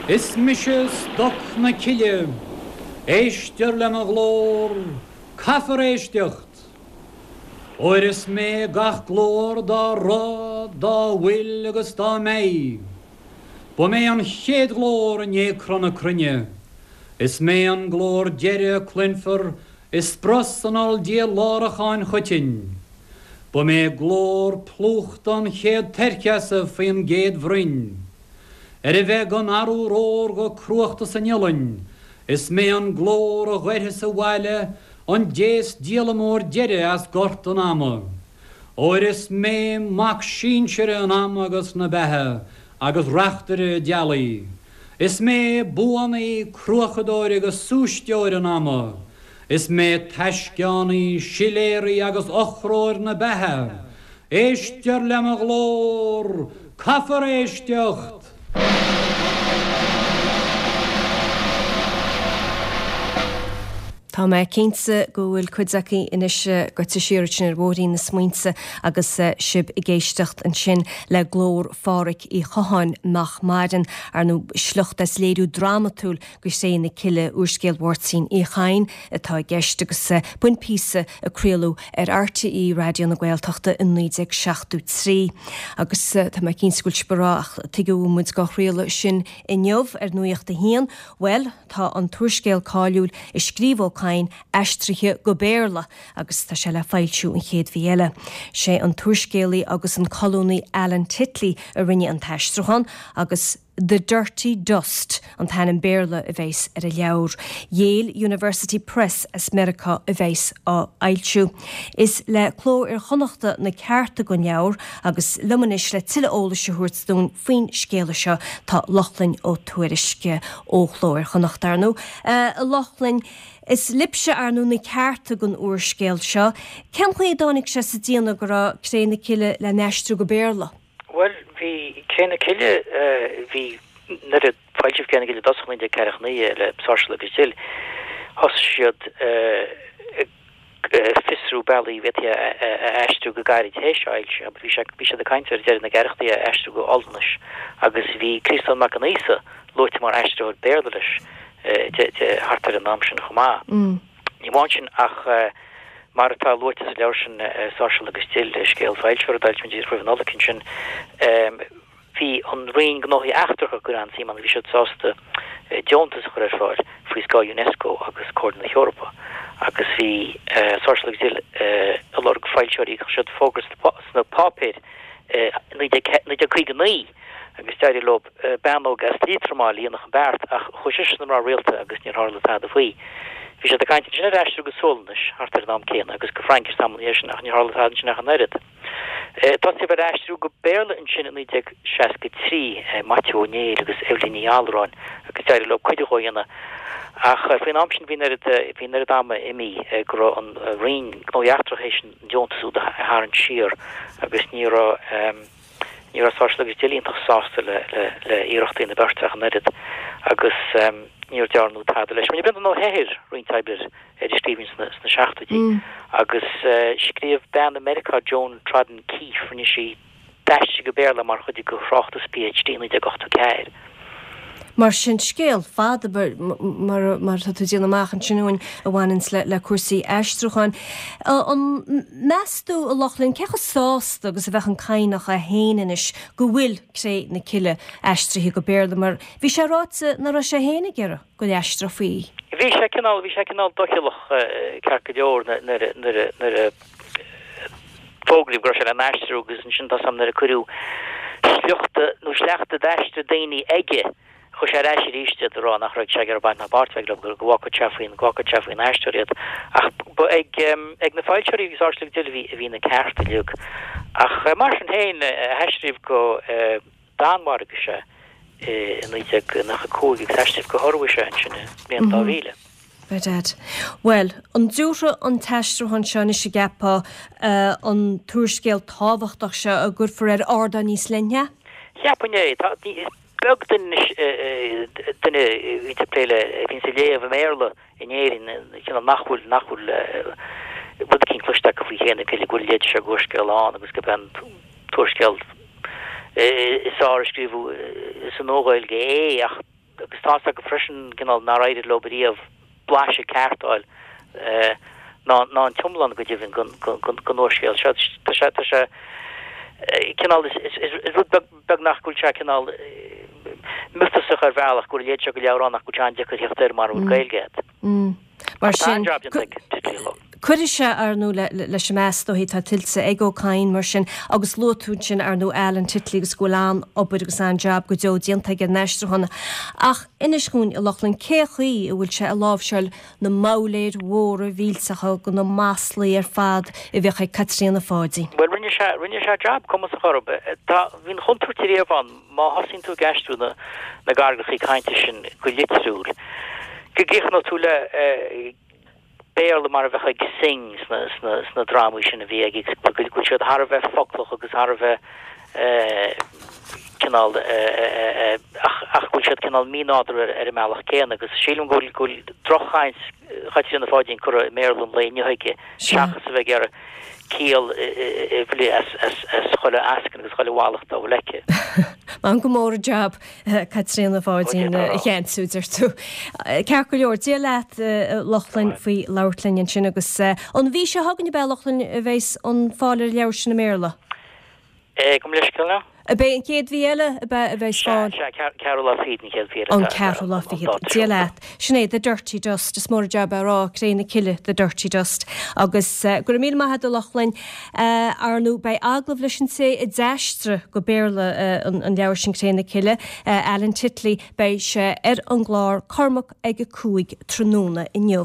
Is mise Stoc na Cille. Éistear le mo ghlór, caithfear éisteacht! Óir is mé gach glór dá raibh, dá bhfuil agus dá mbeidh. Ba mé an chéad ghlór i ndiaidh cruth na cruinne. Is mé an glór deiridh a cluinfear i sprus an oll-díláracháin choitinn. Ba mé glór plúchta an chéad toircheasa faoin gcéad bhroinn. Ar a bheith gan arúr órga cruachta san iolainn, is mé an glór a ghoirfeas abhaile an déas díolamóir deiridh as gort an ama. Óir is mé mac sinsire an ama agus na beatha agus reachtaire a dealaí. Is mé buanaí, cruachadóir agus súisteoir an ama. Is mé taisceánaí, siléaraí agus eochróir na beatha. Éistear le mo ghlór! Caithfear éisteacht! Tá mé cinnte go bhfuil cuid acu anois gaibhte siar ansin ar bhóithrín na smaointe agus sibh ag éisteacht ansin le glór Phádhraic Uí Chatháin nach maireann, ar ndóigh sliocht as léiriú drámatúil de Chré na Cille, úrscéal Mháirtín Uí Chadhain atá i gceist agus b'in píosa a craoladh ar RTÉ Raidió na Gaeltachta i 1973. Agus tá mé cinnte go bhfuil sibh ag rá ach tuige a bhfuil muid á chraoladh sin inniu ar Nuacht a hAon? Bhuel, tá an t-úrscéal cáiliúil a scríobh Ó Cadhain aistrithe go Béarla agus tá sé le foilsiú an chéad mhí eile. Sé an t-úrscéalaí agus an colúnaí Alan Titley a rinne an t-aistriúchán agus The Dirty Dust an t-ainm Béarla a bheas ar an leabhar. Yale University Press as Meiriceá a bheas á fhoilsiú. Is le Cló Iar-Chonnachta na cearta don leabhar agus liom anois le tuilleadh eolais a thabhairt dúinn faoin scéala seo tá Lochlainn Ó Tuairisg ó Chló Iar-Chonnachta, ar ndóigh. A Lochlainn, is libhse, ar ndóigh, na cearta don úrscéal seo. Cén chaoi a dtáinig sé sa déanamh go raibh Cré na Cille le n-aistriú go Béarla? Bhuel, bhí Cré na Cille, bhí, nuair a foilsíodh Cré na Cille i dtosach i 1949 le Sáirséal agus Dill, thosaigh siad ag fiosrú bealaí a bhféadfaí é a aistriú go gairid théis a fhoilsithe. Bhí sé, bhí siad ag caint ar deireadh na gceathrachaidí é a aistriú go Ollannais agus bhí Críostán Mac an Íosa luaite mar aistritheoir Béarla leis de, de, thart ar an am sin chomh maith. Ní amháin sin ach mar atá luaite sa leabhar sin Sáirséal agus Dill, scéal foilseofar a d'fhoilsigh muid roimh an Nollaig ansin, bhí an Roinn Gnóthaí Eachtracha ag cur an-suim ann, bhí siad sásta deontas a chur ar fáil faoi scáth Unesco agus Comhairle na hEorpa agus bhí Sáirséal agus Dill ag lorg foilsitheoirí, chuir siad fógra sna páipéir i 1959 agus d'éirigh leo bean óg as Liatroim a dhéanfadh an beart ach chuaigh sise sna mná rialta agus níor tharla tada faoi. Bhí siad ag caint ansin ar aistriú go Sualainnis thart ar an am céanna agus go Fraincis tamall ina dhiaidh sin ach níor tharla tada ansin ach an oiread. Tosaíodh ar aistriú go Béarla ansin i 1963, Maitiú Ó Néill agus Eibhlín Ní Allmhuráin agus d'éirigh leo cuid dhó a dhéanamh ach faoin am sin bhí an oiread bhí an oiread ama imithe go raibh an Roinn Gnóthaí Eachtracha théis an deontas úd a tharraingt siar agus ní raibh Ní raibh Sáirséal agus Dill iontach sásta le le iarrachtaí na beirte ach an oiread agus níor dearnadh tada leis. Rinne Breandán Ó hEithir roinnt oibre ar an scríbhinn sna sna seachtóidí agus scríobh bean i Meiriceá, Joan Trodden Keefe, rinne sí, d'aistrigh go Béarla mar chuid de thráchtas PhD i 1984. Mar sin, scéal fada mar mar atá tú ag déanamh amach ansin uainn a bhaineanns le le cúrsaí aistriúcháin. An meas tú, a Lochlainn, cé chomh sásta agus a bheadh an Cadhnach é féin anois go bhfuil Cré na Cille aistrithe go Béarla mar bhí sé ráite nach raibh sé féin ag iarraidh go n-aistreofaí í. Bhí sé cineál, bhí sé cineál doicheallach ceart go leor nuair a, nuair a, nuair a fógraíodh go raibh sé le n-aistriú agus ansin tá 's a'm nuair a cuireadh sliochta nó sleachta d'aistir daoine aige chuir sé ar ais arís iad ag rá nach raibh sé ag iarraidh baint ná páirt a bheith leo go bhfágfadh sé faoin go bhfágfadh sé faoin aistritheoir iad ach ba ag ag na foilsitheoirí agus Sáirséal agus Dill a bhí a bhí na cearta uilig ach mar sin féin aistríodh go Danmhairgis é i 1995 agus aistríodh go hIorua é ansin i mbliain 2000. Bedad. Bhuel, an dtabharfaidh an t-aistriúchán seo anois, an gceapfá, an t-úrscéal tábhachtach seo a gcuirfear ar ardán níos leithne? Cheapfainn é. Tá, is beag duine anois, duine a bhíonns ag plé le, a bhíonns ag léamh i mBéarla in Éirinn, cineál nach bhfuil, nach bhfuil rud eicínt cloiste acu faoi Chré na Cille, go bhfuil a leithéid seo d'úrscéal ann agus gurb é an t-úrscéal is fearr a scríobhadh sa Nua-Ghaeilge é ach. Agus tá's acu freisin cineál nár éirigh leo riamh blaiseadh ceart a fháil, ná ná an t-iomlán go deimhin den úrscéal seo. Tá sé, tá sé cineál, is rud beag, beagnach go bhfuil sé cineál miotasach ar bhealach go bhfuil a leithéid seo de leabhar ann ach go bhfuil sé an-deacair theacht air mara bhfuil Gaeilge agat. Mar sin, cuirfidh sé, ar ndóigh, leis an meas is dóichí atá tuillte ag Ó Cadhain mar sin agus luaigh tú ansin, ar ndóigh, Alan Titley agus go bhfuil an-obair agus an-jab go deo déanta aige ar an aistriúchán. Ach inis dhúinn, a Lochlainn, cé chaoi a bhfuil sé ag láimhseáil na mbabhléir mhóra mhillteacha de na maslaí ar fad a bhíodh ag Caitríona Pháidín? Bhuel, rinne sé, rinne sé jab cumasach orthu. Tá, bhí an chontúirt riamh ann. Má thosaíonn tú ag aistriú na na gcarraigeacha cainte sin go litriúil, go gcríochnóidh tú le Béarla mar a bheadh ag Synge sna sna sna drámaí sin a bhí aige, go bhfuil siad thar a bheith foclach agus thar a bheith cineál ach ach go bhfuil siad cineál mínádúrtha ar ar an mbealach céanna agus sílim go bhfuil go bhfuil droch-chaint Chaitríona Pháidín curtha i mBéarla an lae inniu aige seachas a bheith ag iarraidh ciall a bhruith as chuile eascann agus chuile mhallacht dá bhfuil aici. Maith go mór an jab Caitríona Pháidín a cheansú, deir tú. Ceart go leor, Dia leat a Lochlainn faoi labhairt linn ansin agus an mhí seo chugainn ab ea a Lochlainn a bheas an fáil ar an leabhar sin i mBéarla? Gabh mo leithscéal now. Ab é an chéad mhí eile ab ea a bheas fáil? Sea, sea, ceathrú lá fichead an chéad mhí eile. An ceathrú lá fichead. Dia leat. Sin é, The Dirty Dust. Is mór an jab é a rá, Cré na Cille, The Dirty Dust. Agus go raibh míle maith agat a Lochlainn. Ar ndóigh, beidh agallamh leis an té a d'aistrigh go Béarla an leabhar sin, Cré na Cille, Alan Titley, beidh sé ar an gclár Cormac ag a 5 tráthnóna inniu.